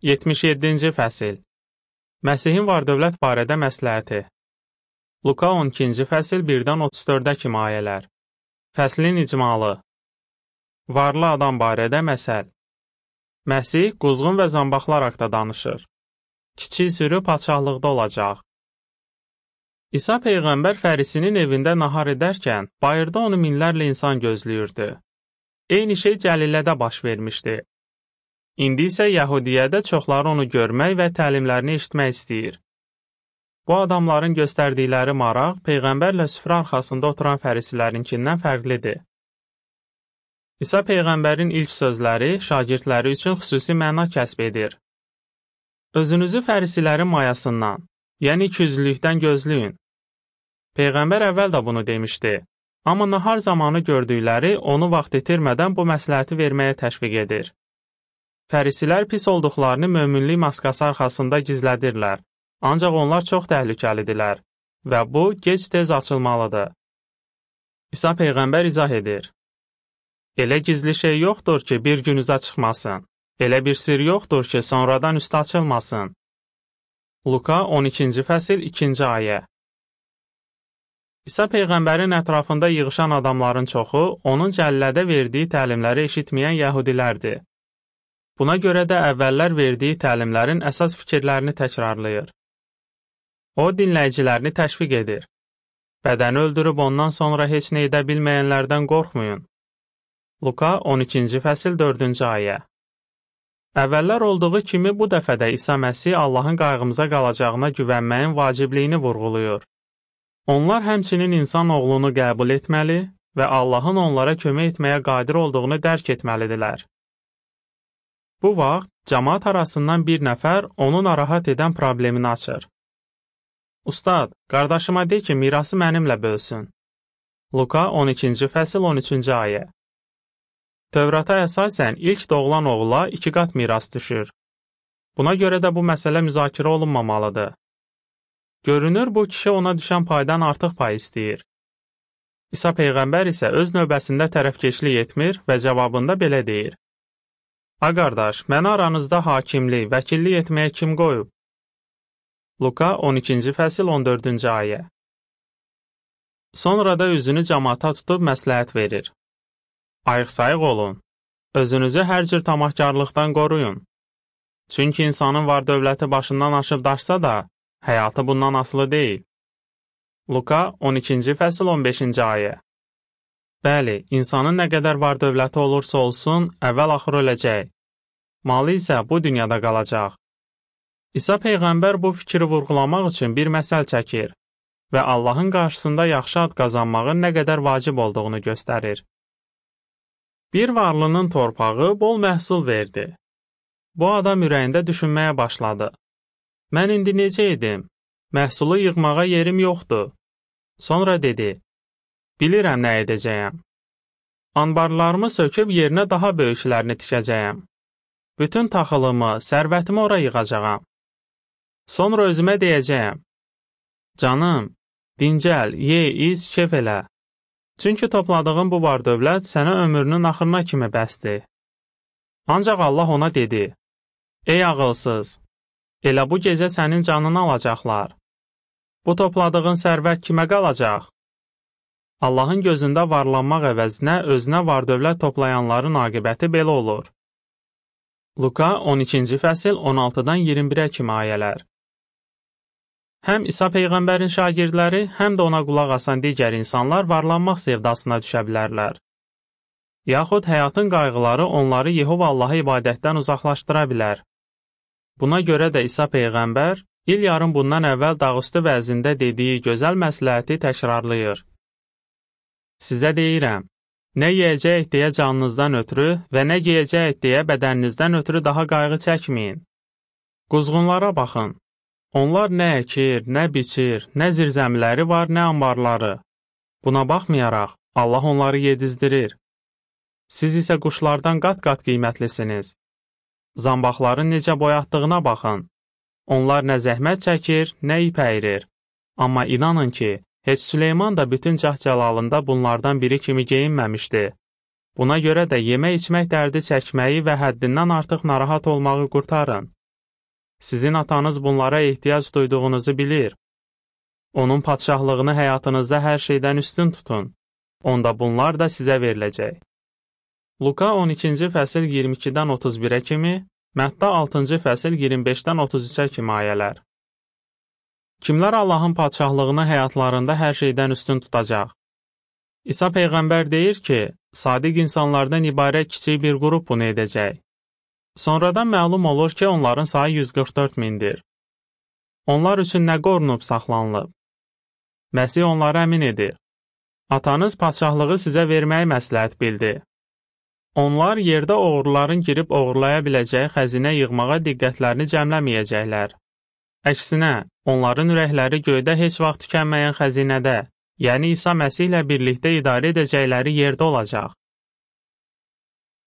77-ci fəsil Məsihin var-dövlət barədə məsləhəti Luka 12-ci fəsil 1-dən 34-ə kimi ayələr Fəslin icmalı Varlı adam barədə məsəl Məsih quzğun və zambaqlar haqda danışır. Kiçik sürü padşahlıqda olacaq. İsa Peyğəmbər fərisinin evində nahar edərkən, bayırda onu minlərlə insan gözləyirdi. Eyni şey Cəlilədə baş vermişdi. İndi isə Yəhudiyyədə çoxları onu görmək və təlimlərini eşitmək istəyir. Bu adamların göstərdikləri maraq Peyğəmbərlə süfrə arxasında oturan fərisilərinkindən fərqlidir. İsa Peyğəmbərin ilk sözləri şagirdləri üçün xüsusi məna kəsb edir. Özünüzü fərisilərin mayasından, yəni ikiyüzlülükdən gözləyin. Peyğəmbər əvvəl də bunu demişdi, amma nahar zamanı gördükləri onu vaxt itirmədən bu məsləhəti verməyə təşviq edir. Fərisilər pis olduqlarını möminlik maskası arxasında gizlədirlər, ancaq onlar çox təhlükəlidirlər və bu gec-tez açılmalıdır. İsa Peyğəmbər izah edir. Elə gizli şey yoxdur ki, bir gün üzə çıxmasın. Elə bir sir yoxdur ki, sonradan üstə açılmasın. Luka 12-ci fəsil 2-ci ayə İsa Peyğəmbərin ətrafında yığışan adamların çoxu, onun Cəllədə verdiyi təlimləri eşitməyən yəhudilərdir. Buna görə də əvvəllər verdiyi təlimlərin əsas fikirlərini təkrarlayır. O, dinləyicilərini təşviq edir. Bədəni öldürüb ondan sonra heç nə edə bilməyənlərdən qorxmayın. Luka 12-ci fəsil 4-cü ayə Əvvəllər olduğu kimi bu dəfə də İsa Məsih Allahın qayğımıza qalacağına güvənməyin vacibliyini vurğulayır. Onlar həmçinin insan oğlunu qəbul etməli və Allahın onlara kömək etməyə qadir olduğunu dərk etməlidirlər. Bu vaxt, cəmaat arasından bir nəfər onu narahat edən problemini açır. Ustad, qardaşıma de ki, mirası mənimlə bölsün. Luka 12-ci fəsil 13-cü ayə Tövrata əsasən ilk doğulan oğula 2 qat miras düşür. Buna görə də bu məsələ müzakirə olunmamalıdır. Görünür, bu kişi ona düşən paydan artıq pay istəyir. İsa Peyğəmbər isə öz növbəsində tərəfkeşlik etmir və cavabında belə deyir. A qardaş, məni aranızda hakimlik, vəkillik etməyə kim qoyub? Luka 12-ci fəsil 14-cü ayə Sonra da üzünü cəmaata tutub məsləhət verir. Ayıq-sayıq olun, özünüzü hər cür tamahkarlıqdan qoruyun. Çünki insanın var-dövləti başından aşıb daşsa da, həyatı bundan asılı deyil. Luka 12-ci fəsil 15-ci ayə Bəli, insanın nə qədər var-dövləti olursa olsun, əvvəl-axır öləcək. Malı isə bu dünyada qalacaq. İsa Peyğəmbər bu fikri vurğulamaq üçün bir məsəl çəkir və Allahın qarşısında yaxşı ad qazanmağın nə qədər vacib olduğunu göstərir. Bir varlının torpağı bol məhsul verdi. Bu adam ürəyində düşünməyə başladı. Mən indi necə edim? Məhsulu yığmağa yerim yoxdur. Sonra dedi, bilirəm nə edəcəyəm. Anbarlarımı söküb yerinə daha böyüklərini tikəcəyəm. Bütün taxılımı, sərvətimi ora yığacağam. Sonra özümə deyəcəyəm. Canım, dincəl, ye, iç, kef elə. Çünki topladığın bu var-dövlət sənə ömrünün axırına kimi bəsdir. Ancaq Allah ona dedi, Ey ağılsız, elə bu gecə sənin canını alacaqlar. Bu topladığın sərvət kimə qalacaq? Allahın gözündə varlanmaq əvəzinə özünə var-dövlət toplayanların aqibəti belə olur. Luka 12-ci fəsil 16-dan 21-ə kimi ayələr Həm İsa Peyğəmbərin şagirdləri, həm də ona qulaq asan digər insanlar varlanmaq sevdasına düşə bilərlər. Yaxud həyatın qayğıları onları Yehova Allaha ibadətdən uzaqlaşdıra bilər. Buna görə də İsa Peyğəmbər, il yarım bundan əvvəl dağüstü vəzində dediyi gözəl məsləhəti təkrarlayır. Sizə deyirəm, nə yeyəcək deyə canınızdan ötürü və nə geyəcək deyə bədəninizdən ötürü daha qayğı çəkməyin. Quzğunlara baxın. Onlar nə əkir, nə biçir, nə zirzəmiləri var, nə anbarları. Buna baxmayaraq, Allah onları yedizdirir. Siz isə quşlardan qat-qat qiymətlisiniz. Zambaqların necə boyatdığına baxın. Onlar nə zəhmət çəkir, nə ip əyirir. Amma inanın ki, heç Süleyman da bütün cah-cəlalında bunlardan biri kimi geyinməmişdi. Buna görə də yemək-içmək dərdi çəkməyi və həddindən artıq narahat olmağı qurtarın. Sizin atanız bunlara ehtiyac duyduğunuzu bilir. Onun padşahlığını həyatınızda hər şeydən üstün tutun. Onda bunlar da sizə veriləcək. Luka 12-ci fəsil 22-dən 31-ə kimi, Mətta 6-cı fəsil 25-dən 33-ə kimi ayələr. Kimlər Allahın padşahlığını həyatlarında hər şeydən üstün tutacaq? İsa Peyğəmbər deyir ki, sadiq insanlardan ibarət kiçik bir qrup bunu edəcək. Sonradan məlum olur ki, onların sayı 144 mindir. Onlar üçün nə qorunub saxlanılıb? Məsih onlara əmin edir. Atanız padşahlığı sizə verməyi məsləhət bildi. Onlar yerdə oğruların girib oğurlaya biləcəyi xəzinə yığmağa diqqətlərini cəmləməyəcəklər. Əksinə, onların ürəkləri göydə heç vaxt tükənməyən xəzinədə, yəni İsa Məsih ilə birlikdə idarə edəcəkləri yerdə olacaq.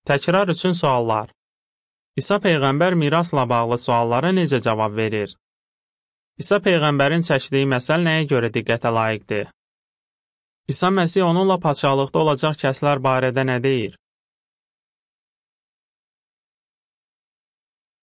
Təkrar üçün suallar. İsa Peyğəmbər mirasla bağlı suallara necə cavab verir? İsa Peyğəmbərin çəkdiyi məsəl nəyə görə diqqətə layiqdir? İsa Məsih onunla padşahlıqda olacaq kəslər barədə nə deyir?